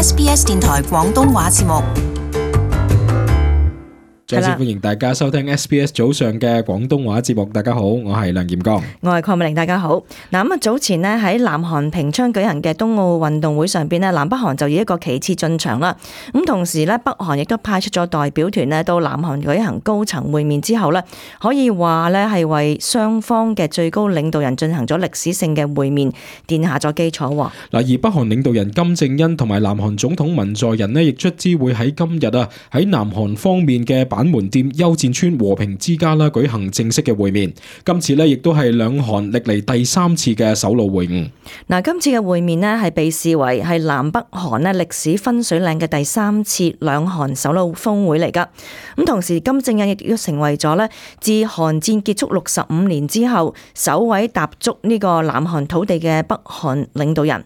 SBS 電台廣東話節目。再次歡迎大家收聽 SBS 早上嘅廣東話節目。大家好，我係梁劍剛，我係鄺美玲。大家好。嗱，早前呢喺南韓平昌舉行嘅冬奧運動會上邊呢，南北韓就以一個旗幟進場啦。咁同時呢，北韓亦都派出咗代表團呢到南韓舉行高層會面之後呢，可以話呢係為雙方嘅最高領導人進行咗歷史性嘅會面奠下咗基礎。嗱，而北韓領導人金正恩同埋南韓總統文在寅呢，亦卒之會喺今日喺南韓方面嘅板門店休戰村和平之家啦舉行正式嘅會面。今次呢亦都係兩韓歷嚟第三次嘅首腦會晤。嗱，今次嘅會面呢係被視為係南北韓呢歷史分水嶺嘅第三次兩韓首腦峰會嚟㗎。咁同時金正恩亦都成為咗呢自韓戰結束65年之後首位踏足呢個南韓土地嘅北韓領導人。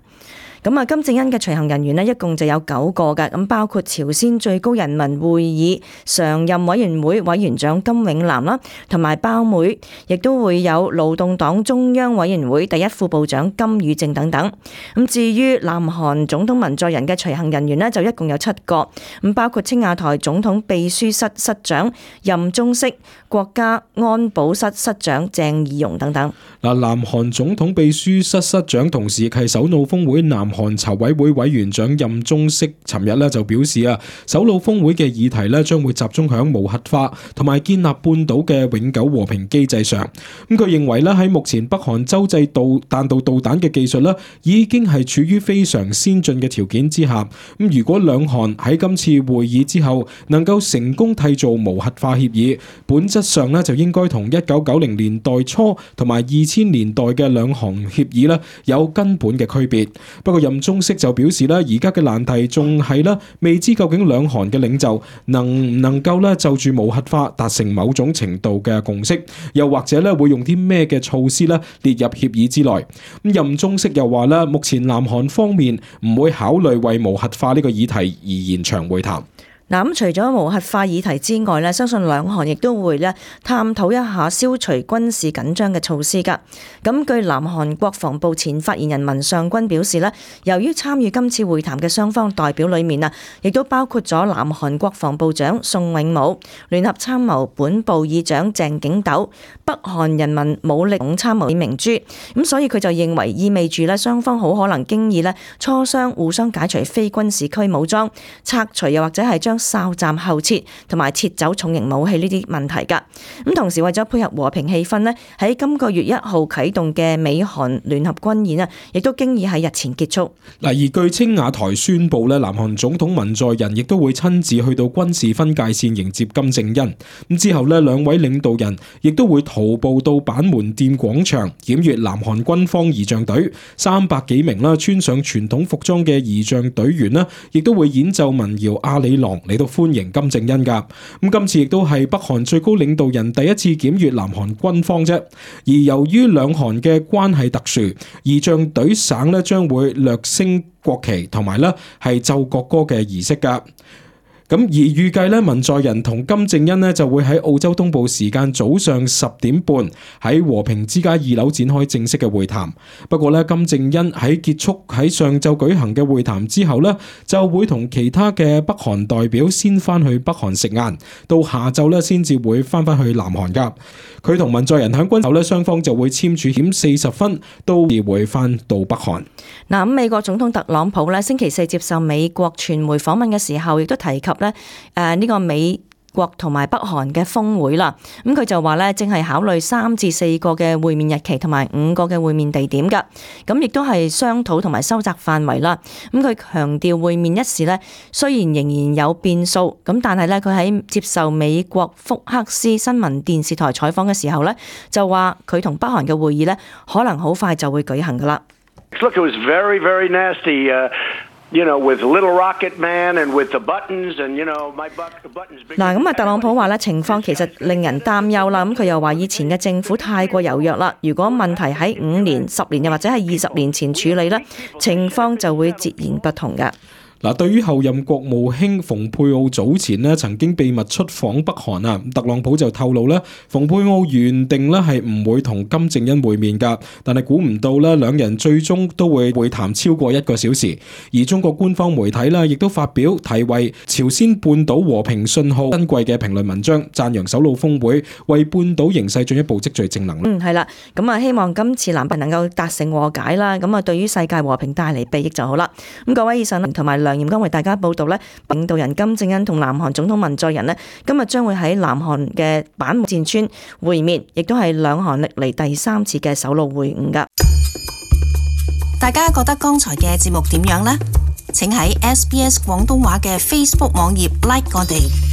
咁金正恩嘅隨行人員呢，一共就有9個嘅，咁包括朝鮮最高人民會議常任委員會委員長金永南啦，同埋胞妹，亦都會有勞動黨中央委員會第一副部長金與正等等。咁至於南韓總統文在寅嘅隨行人員呢，就一共有7個，咁包括青瓦台總統秘書室室長任忠式、國家安保室室長鄭義溶等等。嗱，南韓總統秘書室室長同時亦係首腦峰會南韓籌委會委員長任忠式尋日咧就表示首腦峰會嘅議題咧將會集中響無核化同埋建立半島嘅永久和平機制上。咁佢認為咧喺目前北韓洲際彈道導彈嘅技術咧已經係處於非常先進嘅條件之下。咁如果兩韓喺今次會議之後能夠成功締造無核化協議，本質上咧就應該同1990年代初同埋2000年代嘅兩韓協議咧有根本嘅區別。不過任忠式就表示咧，而家嘅難題仲係咧未知究竟兩韓嘅領袖能唔能夠咧就住無核化達成某種程度嘅共識，又或者咧會用啲咩嘅措施咧列入協議之內。咁任忠式又話咧，目前南韓方面唔會考慮為無核化呢個議題而延長會談。嗱，咁除咗無核化議題之外咧，相信兩韓亦都會咧探討一下消除軍事緊張嘅措施㗎。咁據南韓國防部前發言人文尚君表示咧，由於參與今次會談嘅雙方代表裏面亦都包括咗南韓國防部長宋永武、聯合參謀本部議長鄭景斗、北韓人民武力總參謀李明珠。咁所以佢就認為意味住咧雙方好可能經已咧磋商互相解除非軍事區武裝、拆除又或者係將哨站後撤同埋撤走重型武器呢啲問題㗎。咁同時為咗配合和平氣氛呢，喺今個月1號啟動嘅美韓聯合軍演亦都經已喺日前結束。嗱，而據青瓦台宣布咧，南韓總統文在寅亦都會親自去到軍事分界線迎接金正恩。咁之後咧，兩位領導人亦都會徒步到板門店廣場檢閱南韓軍方儀仗隊300幾名穿上傳統服裝嘅儀仗隊員啦，亦都會演奏民謠阿里郎嚟到歡迎金正恩㗎。咁今次亦都係北韓最高領導人第一次檢閱南韓軍方啫。而由於兩韓嘅關係特殊，儀仗隊省咧將會略升國旗同埋咧係奏國歌嘅儀式㗎。咁而預計咧，文在寅同金正恩咧就會喺澳洲東部時間早上10點半喺和平之家2樓展開正式嘅會談。不過咧，金正恩喺結束喺上晝舉行嘅會談之後咧，就會同其他嘅北韓代表先翻去北韓食晏，到下晝咧先至會翻去南韓㗎。佢同文在寅喺軍後咧，雙方就會簽署險40分，都會翻到北韓。嗱，咁美國總統特朗普咧星期4接受美國傳媒訪問嘅時候，亦都提及呢個美國同埋北韓嘅峰會啦。咁佢就話咧，正係考慮3至4個嘅會面日期同埋5個嘅會面地點㗎。咁亦都係商討同埋收窄範圍啦。咁佢強調會面一事咧，雖然仍然有變數，咁但係咧佢喺接受美國福克斯新聞電視台採訪嘅時候咧，就話佢同北韓嘅會議咧，可能好快就會舉行㗎啦。Look, it was very, very nasty. With little rocket man and with the buttons and my buttons big. 嗱，咁特朗普話咧，情況其實令人擔憂啦。咁佢又話以前嘅政府太過柔弱啦。如果問題喺5年、10年又或者係20年前處理咧，情況就會截然不同㗎。嗱，對於後任國務卿蓬佩奧早前咧曾經秘密出訪北韓啊，特朗普就透露咧，蓬佩奧原定咧係唔會同金正恩會面㗎，但係估唔到咧兩人最終都會會談超過1個小時。而中國官方媒體咧亦都發表題為《朝鮮半島和平信號》珍貴嘅評論文章，讚揚首腦峰會為半島形勢進一步積聚正能量。係啦，咁啊希望今次南北能夠達成和解啦，咁啊對於世界和平帶嚟裨益就好啦。咁各位，以上同埋梁艷剛為大家報道咧，領導人金正恩同南韓總統文在寅咧，今日將會喺南韓嘅板門店村會面，亦都係兩韓歷嚟第3次嘅首腦會晤噶。大家覺得剛才嘅節目點樣呢？請喺SBS 廣東話嘅 Facebook 網頁 like 我哋。